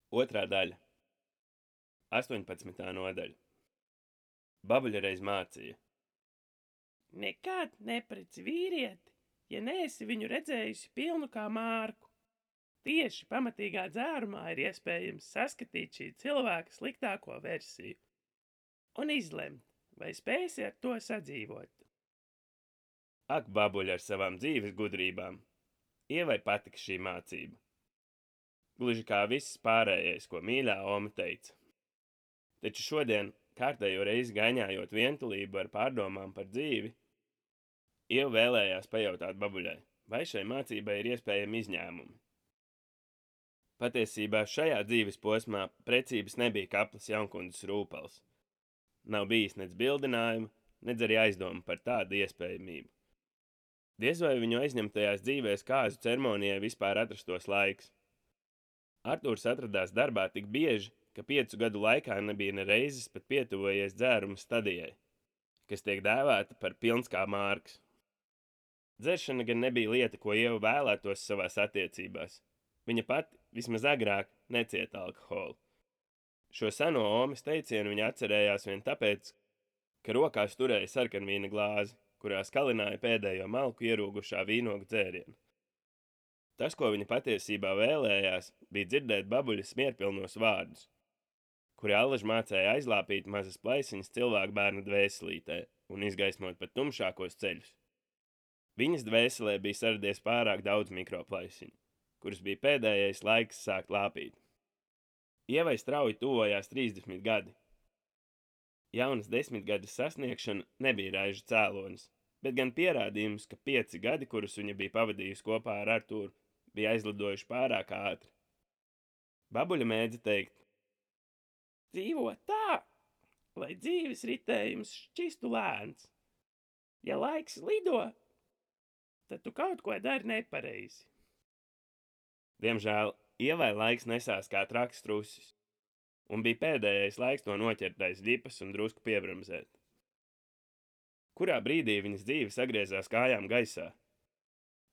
Otrā daļa. 18. nodaļa. Babuļa reiz mācīja. Nekad nepreci vīrieti, ja neesi viņu redzējusi pilnu kā mārku. Tieši pamatīgā dzērumā ir iespējams saskatīt šī cilvēka sliktāko versiju un izlemt, vai spēsi ar to sadzīvot. Ak, babuļa ar savām dzīves gudrībām. Ievai patika šī mācība. Gluži kā viss pārējais, ko mīļā Oma teica. Taču šodien, kārtējo reizi gaņājot vientulību ar pārdomām par dzīvi, Ieva vēlējās pajautāt babuļai, vai šai mācībai ir iespējami izņēmumi. Patiesībā šajā dzīves posmā precības nebija kaplas jaunkundzes rūpals. Nav bijis nec bildinājuma, nec arī aizdomu par tādu iespējamību. Diez vai viņu aizņemtajās dzīvēs kāzu ceremonijai vispār atrastos laiks. Artūrs atradās darbā tik bieži, ka 5 gadu laikā nebija ne reizes pat pietuvojies dzēruma stadijai, kas tiek dēvēta par pilns kā mārks. Dzeršana gan nebija lieta, ko Ieva vēlētos savās attiecībās. Viņa pati, vismaz agrāk, necieta alkoholu. Šo seno Omas teicienu viņa atcerējās vien tāpēc, ka rokās turēja sarkanvīna glāzi, kurā skalināja pēdējo malku ierūgušā vīnogu dzērienu. Tas, ko viņa patiesībā vēlējās, bija dzirdēt babuļas mierpilnos vārdus, kuri allaž mācēja aizlāpīt mazas plaisiņas cilvēku bērnu dvēselītē un izgaismot pat tumšākos ceļus. Viņas dvēselē bija saradies pārāk daudz mikroplaisiņu, kuras bija pēdējais laiks sākt lāpīt. Ievai strauji tuvojās 30 gadi. Jaunas 10 gadas sasniegšana nebija raižu cēlonis, bet gan pierādījums, ka 5 gadi, kurus viņa bija pavadījusi kopā ar Artūru, bija aizlidojuši pārāk ātri. Babuļa mēdza teikt: Dzīvo tā, lai dzīves ritējums šķistu lēns. Ja laiks lido, tad tu kaut ko dari nepareizi. Diemžēl Ievai laiks nesās kā traks trusis, un bija pēdējais laiks to noķert aiz ģipas un drusku piebremzēt. Kurā brīdī viņas dzīve sagriezās kājām gaisā?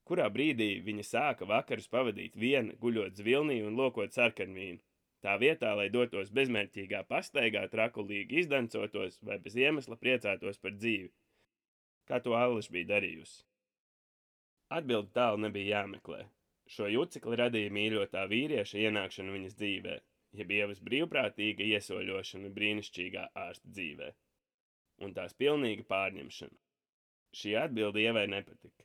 Kurā brīdī viņa sāka vakarus pavadīt viena, guļot zvilnī un lokot sarkanvīnu, tā vietā, lai dotos bezmērķīgā pastaigā trakulīgi izdancotos vai bez iemesla priecātos par dzīvi, kā to allaž bija darījusi? Atbildi tālu nebija jāmeklē. Šo jucekli radīja mīļotā vīrieša ienākšana viņas dzīvē, jeb Ievas brīvprātīga iesoļošana brīnišķīgā ārsta dzīvē, un tās pilnīga pārņemšana. Šī atbilde Ievai nepatika.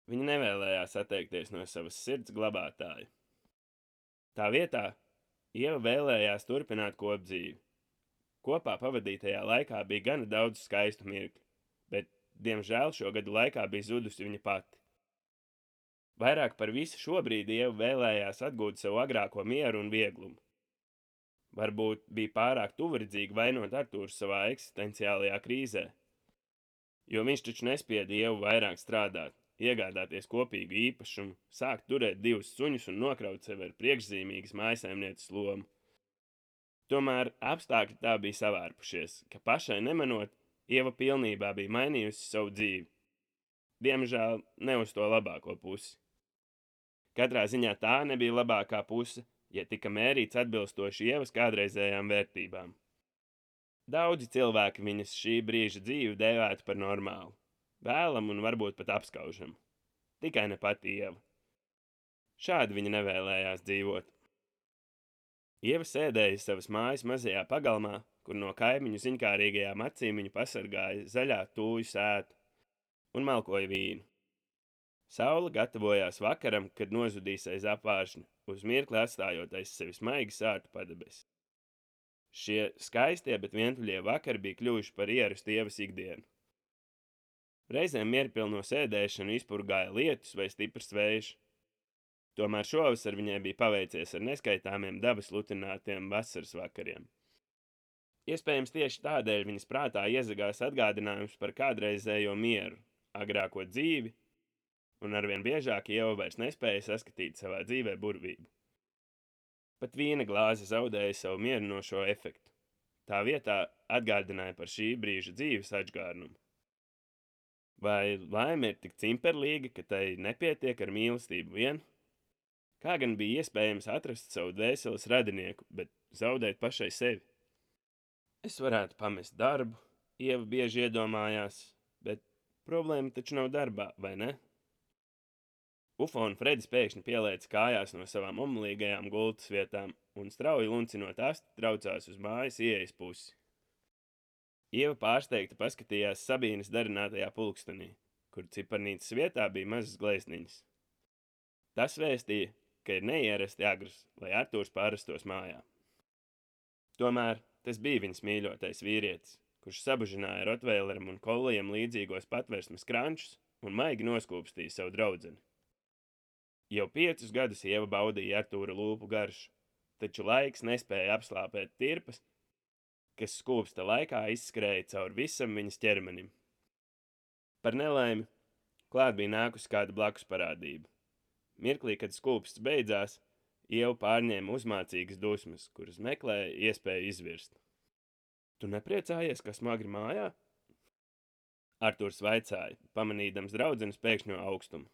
Viņa nevēlējās atteikties no savas sirds glabātāja. Tā vietā Ieva vēlējās turpināt kopdzīvi. Kopā pavadītajā laikā bija gana daudz skaistu mirkļu, bet, diemžēl, šo gadu laikā bija zudusi viņa pati. Vairāk par visu šobrīd Ieva vēlējās atgūt savu agrāko mieru un vieglumu. Varbūt bija pārāk tuvredzīga vainot Artūru savā eksistenciālajā krīzē, jo viņš taču nespieda Ievu vairāk strādāt, iegādāties kopīgu īpašumu, sākt turēt 2 suņus un nokraut sevi ar priekšzīmīgas mājsaimnieces lomu. Tomēr apstākļi tā bija savārpušies, ka pašai nemanot, Ieva pilnībā bija mainījusi savu dzīvi. Diemžēl ne uz to labāko pusi. Katrā ziņā tā nebija labākā puse, ja tika mērīts atbilstoši Ievas kādreizējām vērtībām. Daudzi cilvēki viņas šī brīža dzīvi dēvētu par normālu, vēlamu un varbūt pat apskaužamu. Tikai ne pati Ieva. Šādi viņa nevēlējās dzīvot. Ieva sēdēja savas mājas mazajā pagalmā, kur no kaimiņu ziņkārīgajām acīm viņu pasargāja zaļā tūju sēta un malkoja vīnu. Saule gatavojās vakaram, kad nozudīs aiz apvāršņa, uz mirkli atstājot aiz sevis maigi sārtu padebesi. Šie skaistie, bet vientuļie vakari bija kļuvuši par ierastu Ievas ikdienu. Reizēm mierpilno sēdēšanu izpurgāja lietus vai stiprs vējš. Tomēr šovasar viņai bija paveicies ar neskaitāmiem dabas lutinātiem vasaras vakariem. Iespējams tieši tādēļ viņas prātā iezagās atgādinājums par kādreizējo mieru, agrāko dzīvi, un arvien biežāk Ieva vairs nespēja saskatīt savā dzīvē burvību. Pat vīna glāze zaudēja savu mierinošo efektu. Tā vietā atgādināja par šī brīža dzīves atžgārnumu. Vai laime ir tik cimperlīga, ka tai nepietiek ar mīlestību vien? Kā gan bija iespējams atrast savu dvēseles radinieku, bet zaudēt pašai sevi? Es varētu pamest darbu, Ieva bieži iedomājās, bet problēma taču nav darbā, vai ne? Ufo un Fredis pēkšņi pielēca kājās no savām omulīgajām gultas vietām un strauji luncinot asti traucās uz mājas ieejas pusi. Ieva pārsteigta paskatījās Sabīnes darinātajā pulkstenī, kur ciparnīcas vietā bija mazas glezniņas. Tas vēstīja, ka ir neierasti agrs, lai Artūrs pārastos mājā. Tomēr tas bija viņas mīļotais vīrietis, kurš sabužināja Rotveileram un Kollijam līdzīgos patversmes krančus un maigi noskūpstīja savu draudzeni. Jau 5 gadus Ieva baudīja Artūra lūpu garšu, taču laiks nespēja apslāpēt tirpas, kas skūpsta laikā izskrēja cauri visam viņas ķermenim. Par nelaimi, klāt bija nākusi kāda blakus parādība. Mirklī, kad skūpsts beidzās, Ieva pārņēma uzmācīgas dusmas, kuras meklēja iespēju izvirst. Tu nepriecājies, ka smagri mājā? Artūrs vaicāja, pamanīdams draudzenes pēkšņo augstumu.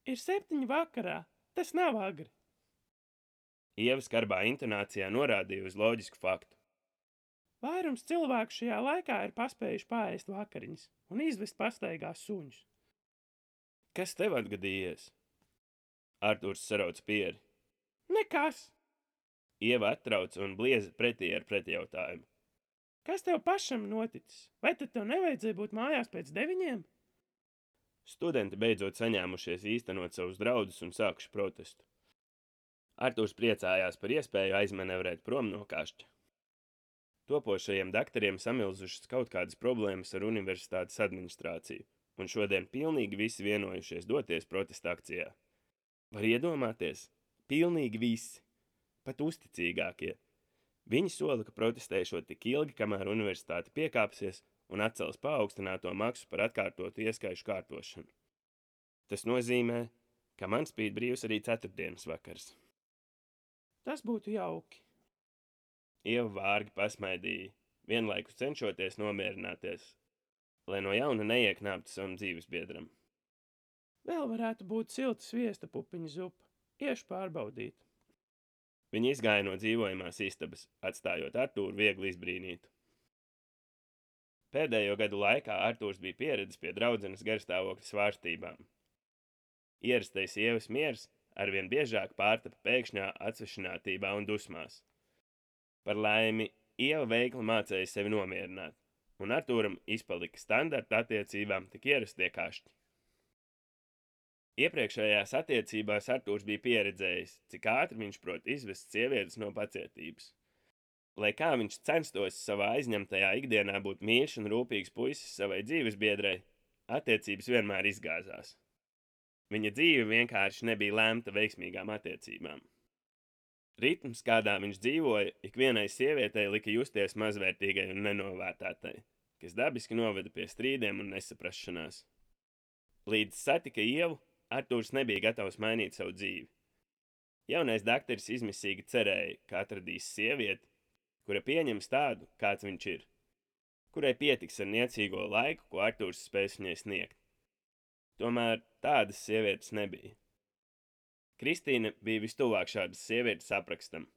Ir 7 vakarā, tas nav agri. Ieva skarbā intonācijā norādīja uz loģisku faktu. Vairums cilvēku šajā laikā ir paspējuši paēst vakariņas un izvest pastaigās suņus. Kas tev atgadījies? Artūrs sarauca pieri. Nekas! Ieva attrauca un blieza pretī ar pretjautājumu. Kas tev pašam noticis? Vai tad tev nevajadzēja būt mājās pēc 9? Studenti beidzot saņēmušies īstenot savus draudus un sākuši protestu. Artūrs priecājās par iespēju aizmanevrēt prom no kašķa. Topošajiem daktariem samilzušas kaut kādas problēmas ar universitātes administrāciju, un šodien pilnīgi visi vienojušies doties protesta akcijā. Var iedomāties? Pilnīgi visi, pat uzticīgākie. Viņi sola, ka protestēšot tik ilgi, kamēr universitāte piekāpsies un atcels paaugstināto maksu par atkārtotu ieskaišu kārtošanu. Tas nozīmē, ka man spīd brīvs arī 4. vakars. Tas būtu jauki. Ieva vārgi pasmaidīja, vienlaikus cenšoties nomierināties, lai no jauna neieknāptu savam dzīvesbiedram. Vēl varētu būt silta sviesta pupiņu zupa. Iešu pārbaudīt. Viņi izgāja no dzīvojamās istabas, atstājot Artūru viegli izbrīnītu. Pēdējo gadu laikā Artūrs bija pieredzis pie draudzenes garstāvokļa svārstībām. Ierastais Ievas miers arvien biežāk pārtapa pēkšņā atsvešinātībā un dusmās. Par laimi, Ieva veikli mācēja sevi nomierināt, un Artūram izpalika standarta attiecībām tik ierastie kašķi. Iepriekšējās attiecībās Artūrs bija pieredzējis, cik ātri viņš prot izvest sievietes no pacietības. Lai kā viņš censtos savā aizņemtajā ikdienā būt mīļš un rūpīgs puisis savai dzīvesbiedrei, attiecības vienmēr izgāzās. Viņa dzīve vienkārši nebija lemta veiksmīgām attiecībām. Ritms, kādā viņš dzīvoja, ikvienai sievietei lika justies mazvērtīgai un nenovērtētai, kas dabiski noveda pie strīdiem un nesaprašanās. Līdz satika Ievu, Artūrs nebija gatavs mainīt savu dzīvi. Jaunais dakteris izmisīgi cerēja, ka atradīs sievieti, kura pieņems tādu, kāds viņš ir, kurai pietiks ar niecīgo laiku, ko Artūrs spēs viņai sniegt. Tomēr tādas sievietes nebija. Kristīna bija vistuvāk šādas sievietes aprakstam.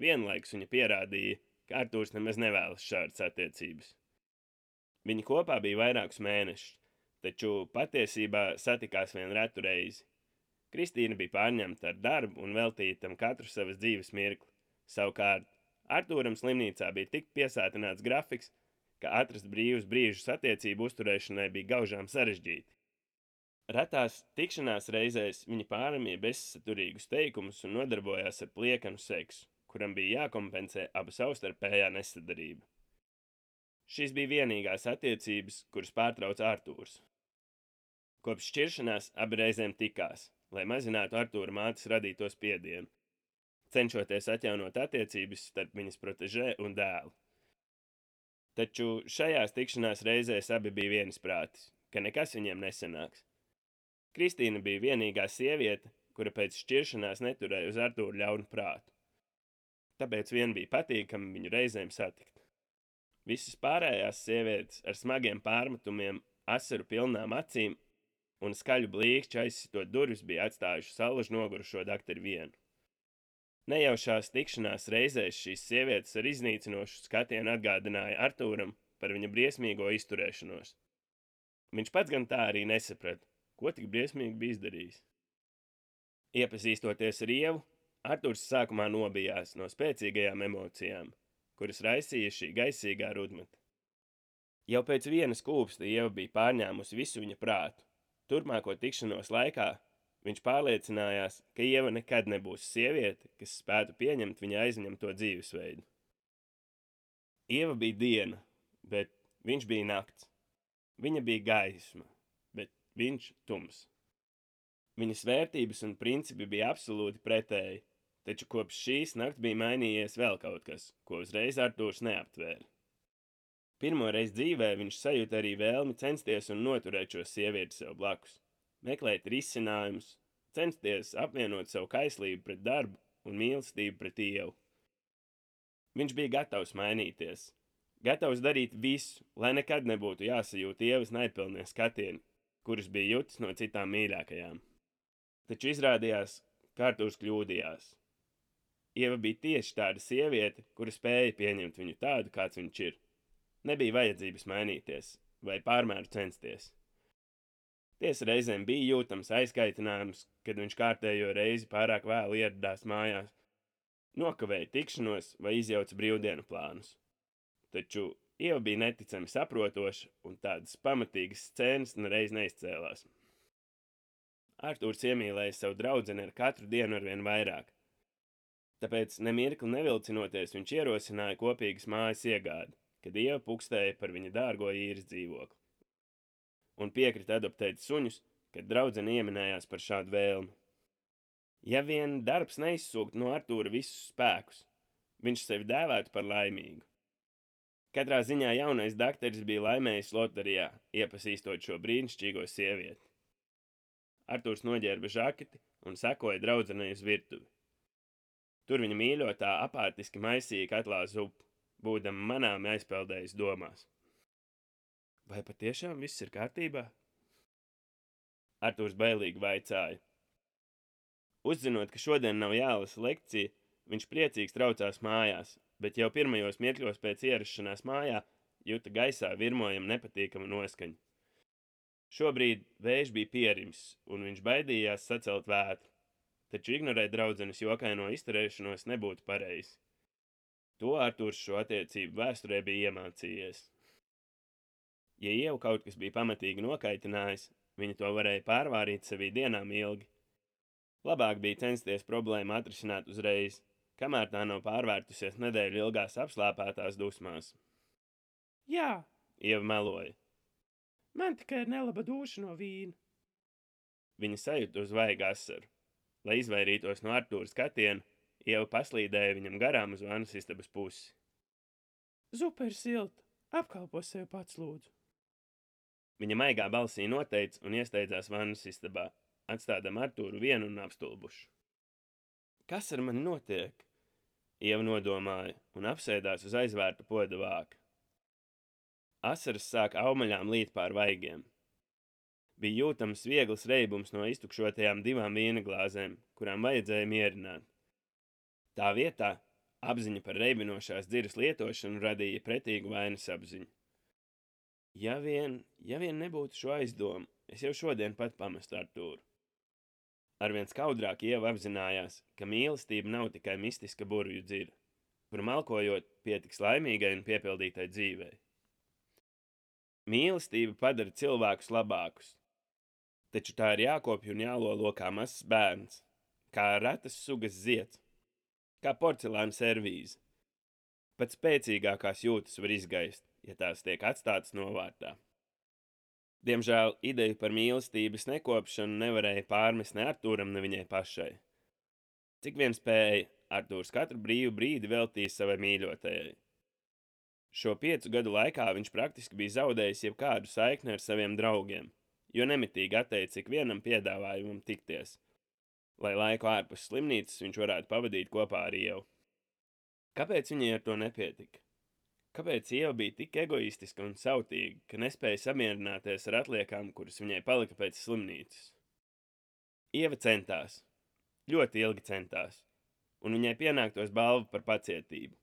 Vienlaikus viņa pierādīja, ka Artūrs nemaz nevēlas šādas attiecības. Viņi kopā bija vairākus mēnešus, taču patiesībā satikās vien retu reizi. Kristīna bija pārņemta ar darbu un veltīja tam katru savas dzīves mirkli. Savukārt, Artūram slimnīcā bija tik piesātināts grafiks, ka atrast brīvus brīžus attiecību uzturēšanai bija gaužām sarežģīti. Retās tikšanās reizēs viņa pāramīja bezsaturīgus teikumus un nodarbojās ar pliekanu seksu, kuram bija jākompensē abu savstarpējā nesadarība. Šīs bija vienīgās attiecības, kuras pārtrauca Artūrs. Kopš šķiršanās abi reizēm tikās, lai mazinātu Artūra mātes radīto spiedienu, cenšoties atjaunot attiecības starp viņas protežē un dēlu. Taču šajās tikšanās reizēs abi bija vienisprātis, ka nekas viņiem nesanāks. Kristīna bija vienīgā sieviete, kura pēc šķiršanās neturēja uz Artūru ļaunu prātu. Tāpēc vien bija patīkami viņu reizēm satikt. Visas pārējās sievietes ar smagiem pārmetumiem, asaru pilnām acīm un skaļu blīkšķi aizsitot durvis bija atstājuši salaži nogurušo dakteri vienu. Nejaušās tikšanās reizēs šīs sievietes ar iznīcinošu skatienu atgādināja Artūram par viņa briesmīgo izturēšanos. Viņš pats gan tā arī nesaprata, ko tik briesmīgi bija izdarījis. Iepazīstoties ar Ievu, Artūrs sākumā nobijās no spēcīgajām emocijām, kuras raisīja šī gaisīgā rudmete. Jau pēc vienas kūpsta Ieva bija pārņēmusi visu viņa prātu. Turpmāko tikšanos laikā viņš pārliecinājās, ka Ieva nekad nebūs sieviete, kas spētu pieņemt viņa aizņemto dzīvesveidu. Ieva bija diena, bet viņš bija nakts. Viņa bija gaisma, bet viņš tums. Viņas vērtības un principi bija absolūti pretēji, taču kopš šīs nakts bija mainījies vēl kaut kas, ko uzreiz Artūrs neaptvēra. Pirmo reizi dzīvē viņš sajūta arī vēlmi censties un noturēt šo sievieti sev blakus, meklēt risinājumus, censties apvienot savu kaislību pret darbu un mīlestību pret Ievu. Viņš bija gatavs mainīties, gatavs darīt visu, lai nekad nebūtu jāsajūt Ievas naidpilnie skatieni, kurus bija jutis no citām mīļākajām. Taču izrādījās, ka Artūrs kļūdījās. Ieva bija tieši tāda sieviete, kura spēja pieņemt viņu tādu, kāds viņš ir. Nebija vajadzības mainīties vai pārmēru censties. Tiesa reizēm bija jūtams aizkaitinājums, kad viņš kārtējo reizi pārāk vēlu ieradās mājās, nokavēja tikšanos vai izjauca brīvdienu plānus. Taču Ieva bija neticami saprotoša un tādas pamatīgas scēnas nereiz neizcēlās. Artūrs iemīlēja savu draudzeni ar katru dienu arvien vairāk. Tāpēc nemirkli nevilcinoties viņš ierosināja kopīgas mājas iegādi, kad Ieva pukstēja par viņa dārgo īres dzīvokli. Un piekrita adoptēt suņus, kad draudzene ieminējās par šādu vēlmi. Ja vien darbs neizsūkt no Artūra visus spēkus, viņš sevi dēvētu par laimīgu. Katrā ziņā jaunais dakteris bija laimējis loterijā, iepazīstot šo brīnišķīgo sievieti. Artūrs noģērba žaketi un sekoja draudzenei uz virtuvi. Tur viņa mīļotā apātiski maisīja katlā zupu, būdama manāmi aizpeldējis domās. Vai patiešām viss ir kārtībā? Artūrs bailīgi vaicāja. Uzzinot, ka šodien nav jālasa lekcija, viņš priecīgs traucās mājās, bet jau pirmajos mirkļos pēc ierašanās mājā juta gaisā virmojam nepatīkamu noskaņu. Šobrīd vējš bija pierims, un viņš baidījās sacelt vētru, taču ignorēt draudzenes jokaino izturēšanos nebūtu pareizi. To Artūrs šo attiecību vēsturē bija iemācījies. Ja Ieva kaut kas bija pamatīgi nokaitinājis, viņa to varēja pārvārīt sevī dienām ilgi. Labāk bija censties problēmu atrisināt uzreiz, kamēr tā nav pārvērtusies nedēļu ilgās apslāpētās dusmās. Jā, Ieva meloja. man tikai ir nelaba duša no vīna. Viņa sajūta uz vaigu asaru. Lai izvairītos no Artūra skatiena, Ieva paslīdēja viņam garām uz vannas istabas pusi. Zupa ir silta, apkalpo sevi pats lūdzu. Viņa maigā balsī noteica un iesteidzās vannas istabā, atstādam Artūru vienu un apstulbušu. Kas ar mani notiek? Ieva nodomāja un apsēdās uz aizvērta poda vāka. Asaras sāk aumaļām līt pār vaigiem. Bija jūtams viegls reibums no iztukšotajām 2 vīna glāzēm, kurām vajadzēja mierināt. Tā vietā apziņa par reibinošās dziras lietošanu radīja pretīgu vainas apziņu. Ja vien nebūtu šo aizdomu, es jau šodien pat pamestu Artūru. Arvien skaudrāk Ieva apzinājās, ka mīlestība nav tikai mistiska burvju dzira, kur malkojot pietiks laimīgai un piepildītai dzīvei. Mīlestība padara cilvēkus labākus, taču tā ir jākopj un jālolo kā mazs bērns, kā retas sugas zieds, kā porcelāna servīze. Pat spēcīgākās jūtas var izgaist, ja tās tiek atstātas novārtā. Diemžēl ideju par mīlestības nekopšanu nevarēja pārmest ne Artūram, ne viņai pašai. Cik vien spēja, Artūrs katru brīvu brīdi veltīja savai mīļotajai. Šo 5 gadu laikā viņš praktiski bija zaudējis jebkādu saikni ar saviem draugiem, jo nemitīgi atteica ikvienam piedāvājumam tikties, lai laiku ārpus slimnīcas viņš varētu pavadīt kopā ar Ievu. Kāpēc viņai ar to nepietika? Kāpēc Ieva bija tik egoistiska un sautīga, ka nespēja samierināties ar atliekām, kuras viņai palika pēc slimnīcas? Ieva centās, ļoti ilgi centās, un viņai pienāktos balva par pacietību.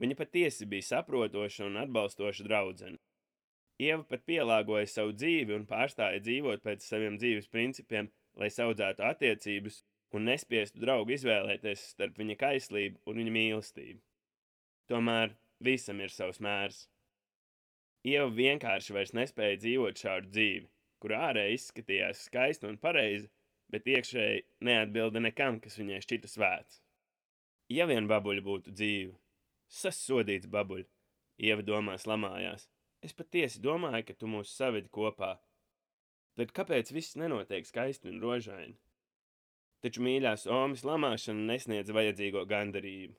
Viņa patiesi bija saprotoša un atbalstoša draudzene. Ieva pat pielāgoja savu dzīvi un pārstāja dzīvot pēc saviem dzīves principiem, lai saudzētu attiecības un nespiestu draugu izvēlēties starp viņa kaislību un viņa mīlestību. Tomēr visam ir savs mērs. Ieva vienkārši vairs nespēja dzīvot šādu dzīvi, kur ārēji izskatījās skaista un pareiza, bet iekšēji neatbilda nekam, kas viņai šķita svēts. Ja vien babuļa būtu dzīva, sasodīts babuļ, Ieva domās lamājās. Es patiesi domāju, ka tu mūs savedi kopā. Tad kāpēc viss nenotiek skaisti un rožaini? Taču mīļās Omas lamāšana nesniedz vajadzīgo gandarījumu.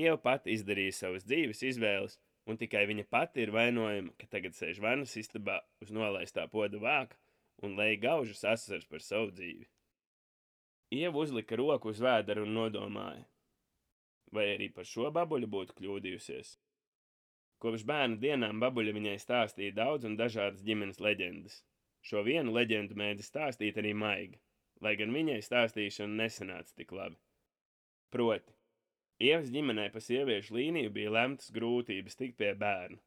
Ieva pati izdarīja savas dzīves izvēles, un tikai viņa pati ir vainojama, ka tagad sēž vannas istabā uz nolaistā poda vāka un lej gaužas asars par savu dzīvi. Ieva uzlika roku uz vēdera un nodomāja. Vai arī par šo babuļu būtu kļūdījusies? Kopš bērna dienām babuļa viņai stāstīja daudz un dažādas ģimenes leģendas. Šo vienu leģendu mēdz stāstīt arī Maiga, lai gan viņai stāstīšana nesanāca tik labi. Proti, Ievas ģimenē pa sieviešu līniju bija lemtas grūtības tikt pie bērna.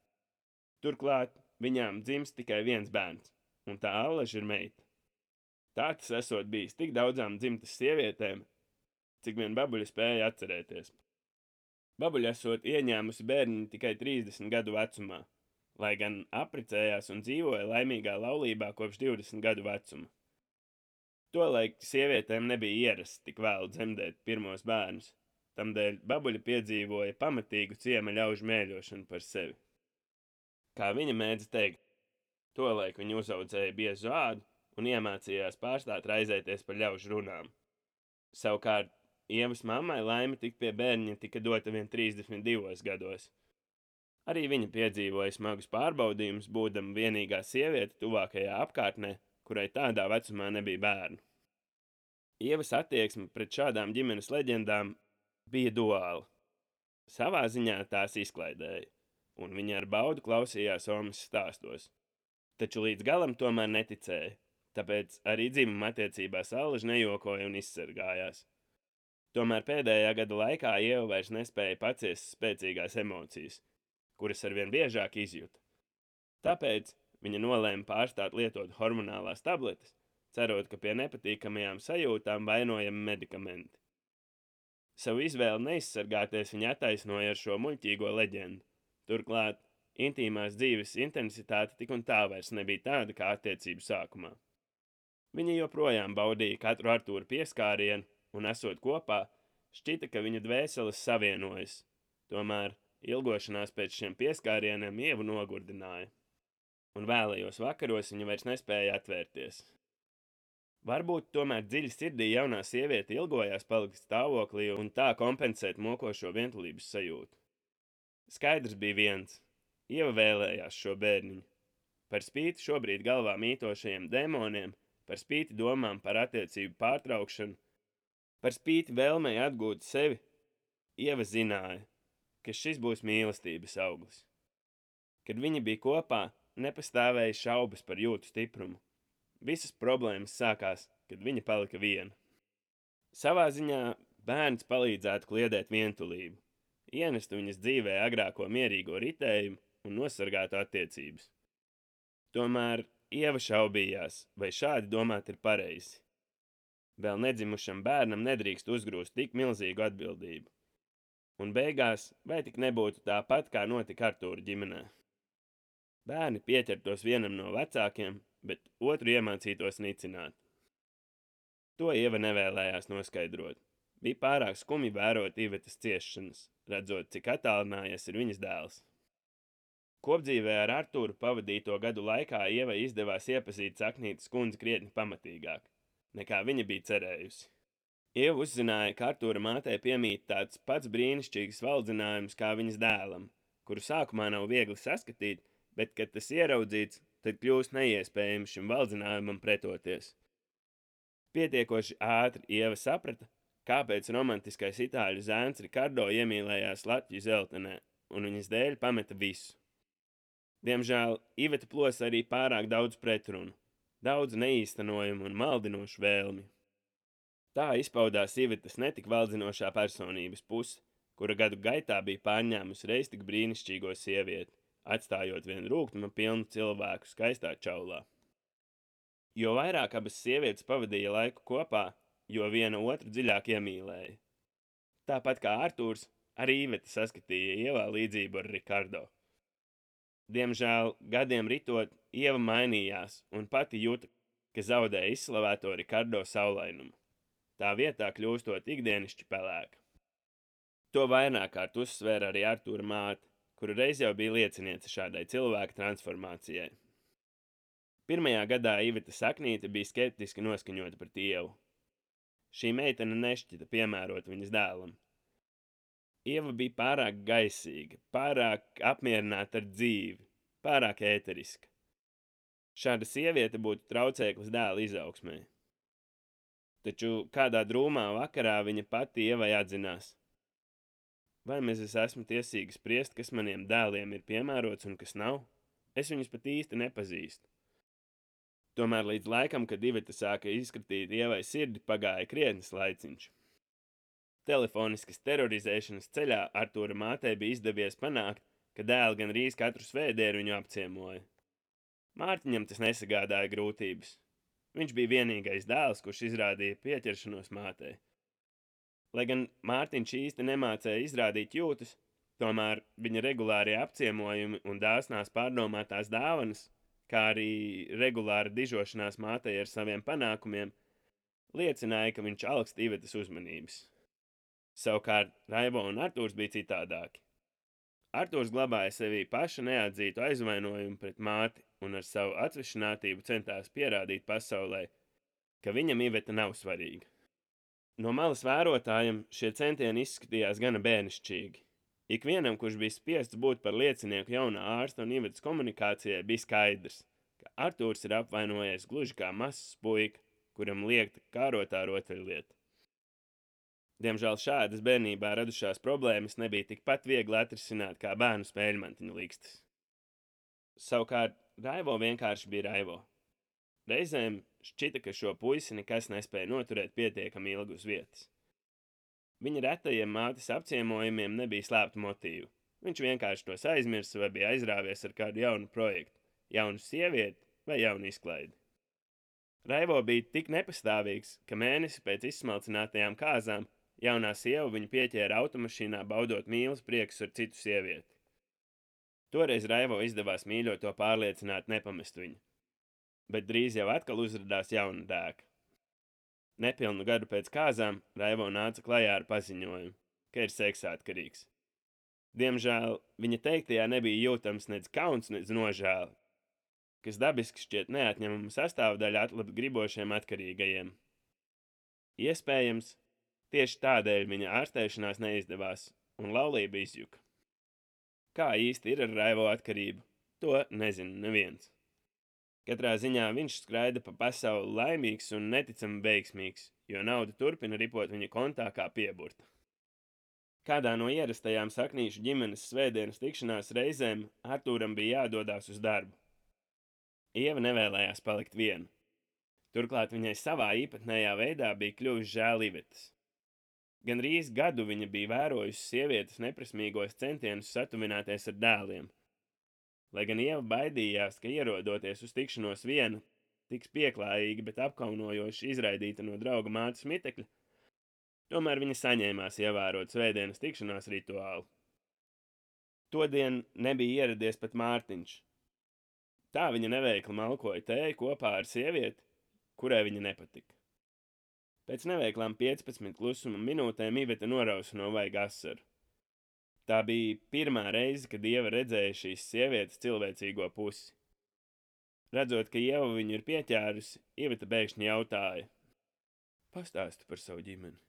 Turklāt viņām dzimst tikai viens bērns, un tā allaž ir meita. Tā tas esot bijis tik daudzām dzimtas sievietēm, cik vien babuļa spēja atcerēties. Babuļa esot ieņēmusi bērniņu tikai 30 gadu vecumā, lai gan apprecējās un dzīvoja laimīgā laulībā kopš 20 gadu vecuma. Tolaik sievietēm nebija ierasts tik vēlu dzemdēt pirmos bērnus, tamdēļ babuļa piedzīvoja pamatīgu ciema ļaužu mēļošanu par sevi. Kā viņa mēdz teikt, tolaik viņa uzaudzēja biezu ādu un iemācījās pārstāt raizēties par ļaužu runām. Savukārt, Ievas mammai laime tikt pie bērniņa tika dota vien 32 gados. Arī viņa piedzīvoja smagus pārbaudījumus, būdama vienīgā sieviete tuvākajā apkārtnē, kurai tādā vecumā nebija bērnu. Ievas attieksme pret šādām ģimenes leģendām bija duāla. Savā ziņā tās izklaidēja, un viņa ar baudu klausījās Omas stāstos. Taču līdz galam tomēr neticēja, tāpēc arī dzimuma attiecībās allaž nejokoja un izsargājās. Tomēr pēdējā gada laikā Ieva vairs nespēja paciest spēcīgās emocijas, kuras arvien biežāk izjuta. Tāpēc viņa nolēma pārstāt lietot hormonālās tabletes, cerot, ka pie nepatīkamajām sajūtām vainojami medikamenti. Savu izvēli neizsargāties viņa attaisnoja ar šo muļķīgo leģendu. Turklāt, intīmās dzīves intensitāte tik un tā vairs nebija tāda kā attiecību sākumā. Viņa joprojām baudīja katru Artūra pieskārienu, un esot kopā, šķita, ka viņu dvēseles savienojas. Tomēr ilgošanās pēc šiem pieskārieniem Ievu nogurdināja, un vēlējos vakaros viņa vairs nespēja atvērties. Varbūt tomēr dziļi sirdī jaunā sieviete ilgojās palikt stāvoklī un tā kompensēt mokošo vientulības sajūtu. Skaidrs bija viens – Ieva vēlējās šo bērniņu. Par spīti šobrīd galvā mītošajiem demoniem, par spīti domām par attiecību pārtraukšanu, par spīti vēlmei atgūt sevi, Ieva zināja, ka šis būs mīlestības auglis. Kad viņi bija kopā, nepastāvēja šaubas par jūtu stiprumu. Visas problēmas sākās, kad viņa palika viena. Savā ziņā bērns palīdzētu kliedēt vientulību, ienestu viņas dzīvē agrāko mierīgo ritējumu un nosargātu attiecības. Tomēr Ieva šaubījās, vai šādi domāt ir pareizi. Vēl nedzimušam bērnam nedrīkst uzgrūst tik milzīgu atbildību. Un beigās, vai tik nebūtu tāpat, kā notika Artūra ģimenē. Bērni pieķertos vienam no vecākiem, bet otru iemācītos nicināt. To Ieva nevēlējās noskaidrot. Bija pārāk skumji vērot Ivetas ciešanas, redzot, cik attālinājies ir viņas dēls. Kopdzīvē ar Artūru pavadīto gadu laikā Ievai izdevās iepazīt Saknītes kundzi krietni pamatīgāk, nekā viņa bija cerējusi. Ieva uzzināja, ka Artūra mātei piemīt tāds pats brīnišķīgs valdzinājums kā viņas dēlam, kuru sākumā nav viegli saskatīt, bet, kad tas ieraudzīts, tad kļūst neiespējami šim valdzinājumam pretoties. Pietiekoši ātri Ieva saprata, kāpēc romantiskais itāļu zēns Rikardo iemīlējās Latviju Zeltenē, un viņas dēļ pameta visu. Diemžēl Iveta plosa arī pārāk daudz pretrunu, daudz neīstenojumu un maldinošu vēlmi. Tā izpaudās Ivetas netik valdzinošā personības puse, kura gadu gaitā bija pārņēmusi reiz tik brīnišķīgo sievieti, atstājot vien rūgtuma pilnu cilvēku skaistā čaulā. Jo vairāk abas sievietes pavadīja laiku kopā, jo viena otru dziļāk iemīlēja. Tāpat kā Artūrs, arī Iveta saskatīja Ievā līdzību ar Rikardo. Diemžēl, gadiem ritot, Ieva mainījās un pati jūta, ka zaudēja izslavēto Rikardo saulainumu. Tā vietā kļūstot ikdienišķi pelēka. To vairāk kārt uzsvēra arī Artūra māte, kura reiz jau bija lieciniece šādai cilvēka transformācijai. Pirmajā gadā Iveta Saknīte bija skeptiski noskaņota pret Ievu. Šī meitene nešķita piemērot viņas dēlam. Ieva bija pārāk gaisīga, pārāk apmierināta ar dzīvi, pārāk ēteriska. Šāda sieviete būtu traucēklis dēla izaugsmē. Taču kādā drūmā vakarā viņa pati Ievai atzinās: vai es esmu tiesīga spriest, kas maniem dēliem ir piemērots un kas nav? Es viņus pat īsti nepazīstu. Tomēr līdz laikam, kad Iveta sāka izskatīt Ievai sirdi, pagāja krietnis laiciņš. Telefoniskas terorizēšanas ceļā Artūra mātei bija izdevies panākt, ka dēli gandrīz katru svētdienu viņu apciemoja. Mārtiņam tas nesagādāja grūtības. Viņš bija vienīgais dēls, kurš izrādīja pieķeršanos mātei. Lai gan Mārtiņš īsti nemācēja izrādīt jūtas, tomēr viņa regulārie apciemojumi un dāsnās pārdomātās dāvanas, kā arī regulāra dižošanās mātei ar saviem panākumiem, liecināja, ka viņš alkst Ivetas uzmanības. Savukārt Raivo un Artūrs bija citādāki. Artūrs glabāja sevī paša neatzītu aizvainojumu pret māti un ar savu atsvešinātību centās pierādīt pasaulē, ka viņam Iveta nav svarīga. No malas vērotājiem šie centieni izskatījās gana bērnišķīgi. Ikvienam, kurš bija spiests būt par liecinieku jaunā ārsta un Ivetas komunikācijai, bija skaidrs, ka Artūrs ir apvainojies gluži kā mazs puika, kuram liekta kārotā rotaļlieta. Diemžēl šādas bērnībā radušās problēmas nebija tikpat viegli atrisināt kā bērnu spēļmantiņu likstas. Savukārt Raivo vienkārši bija Raivo. Reizēm šķita, ka šo puisi nekas nespēja noturēt pietiekami ilgi uz vietas. Viņa retajiem mātes apciemojumiem nebija slēptu motīvu. Viņš vienkārši tos aizmirsa vai bija aizrāvies ar kādu jaunu projektu, jaunu sievieti vai jaunu izklaidi. Raivo bija tik nepastāvīgs, ka mēnesi pēc izsmalcinātajām kāzām jaunā sieva viņu pieķēra automašīnā baudot mīlas priekus ar citu sievieti. Toreiz Raivo izdevās mīļoto pārliecināt nepamest viņu, bet drīz jau atkal uzradās jauna dēka. Nepilnu gadu pēc kāzām Raivo nāca klajā ar paziņojumu, ka ir seksātkarīgs. Diemžēl viņa teiktajā nebija jūtams nec kauns, nec nožēla, kas dabiski šķiet neatņemama sastāvdaļa atlabi atkarīgajiem. Iespējams, tieši tādēļ viņa ārstēšanās neizdevās un laulība izjuka. Kā īsti ir ar Raivo atkarību, to nezina neviens. Katrā ziņā viņš skraida pa pasauli laimīgs un neticami veiksmīgs, jo nauda turpina ripot viņa kontā kā pieburta. Kādā no ierastajām Saknīšu ģimenes svētdienas tikšanās reizēm Artūram bija jādodās uz darbu. Ieva nevēlējās palikt viena. Turklāt viņai savā īpatnējā veidā bija kļuvis žēl Ivetas. Gandrīz gadu viņa bija vērojusi sievietes neprasmīgos centienus satuvināties ar dēliem. Lai gan Ieva baidījās, ka ierodoties uz tikšanos viena, tiks pieklājīgi, bet apkaunojoši izraidīta no drauga mātes mitekļa, tomēr viņa saņēmās ievērot svētdienas tikšanās rituālu. Todien nebija ieradies pat Mārtiņš. Tā viņa neveikli malkoja tēju kopā ar sievieti, kurai viņa nepatika. Pēc neveiklām 15 klusuma minūtēm Iveta norausa no vaiga asaru. Tā bija pirmā reize, kad Ieva redzēja šīs sievietes cilvēcīgo pusi. Redzot, ka Ieva viņu ir pieķērusi, Iveta bēgšņi jautāja: pastāsti par savu ģimeni.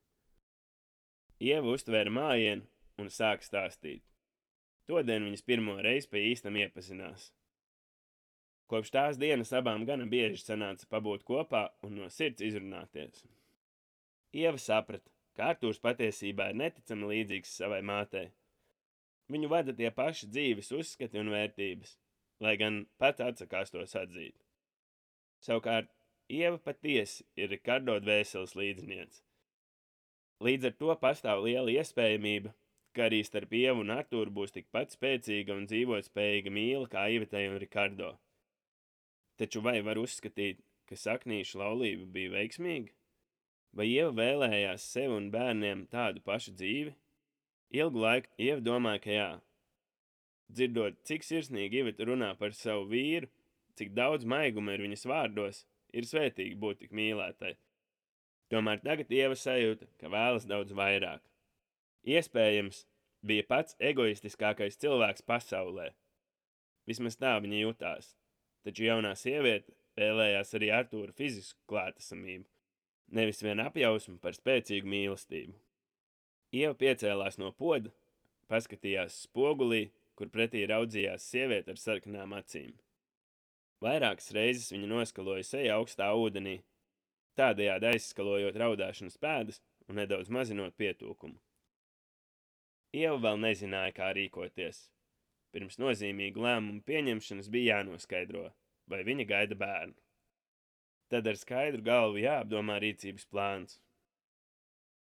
Ieva uztvēra mājienu un sāka stāstīt. Todien viņas pirmo reizi pa īstam iepazinās. Kopš tās dienas abām gana bieži sanāca pabūt kopā un no sirds izrunāties. Ieva saprata, ka Artūrs patiesībā ir neticami līdzīgs savai mātei. Viņu vada tie paši dzīves uzskati un vērtības, lai gan pats atsakās tos atzīt. Savukārt, Ieva patiesi ir Rikardo dvēseles līdzniece. Līdz ar to pastāv liela iespējamība, ka arī starp Ievu un Artūru būs tikpat spēcīga un dzīvotspējīga mīla kā Ivetai un Rikardo. Taču vai var uzskatīt, ka saknīšu laulība bija veiksmīga? Vai Ieva vēlējās sev un bērniem tādu pašu dzīvi? Ilgu laiku Ieva domāja, ka jā. Dzirdot, cik sirsnīgi Iveta runā par savu vīru, cik daudz maiguma ir viņas vārdos, ir svētīgi būt tik mīlētai. Tomēr tagad Ieva sajūta, ka vēlas daudz vairāk. Iespējams, bija pats egoistiskākais cilvēks pasaulē. Vismaz tā viņa jutās, taču jaunā sieviete vēlējās arī Artūra fizisku klātesamību, nevis vien apjausmu par spēcīgu mīlestību. Ieva piecēlās no poda, paskatījās spogulī, kur pretī raudzījās sieviete ar sarkanām acīm. Vairākas reizes viņa noskaloja seju augstā ūdenī, tādējādi aizskalojot raudāšanas pēdas un nedaudz mazinot pietūkumu. Ieva vēl nezināja, kā rīkoties. Pirms nozīmīgu lēmumu pieņemšanas bija jānoskaidro, vai viņa gaida bērnu. Tad ar skaidru galvu jāapdomā rīcības plāns.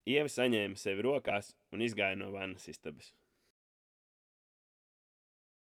Ieva saņēma sevi rokās un izgāja no vannas istabas.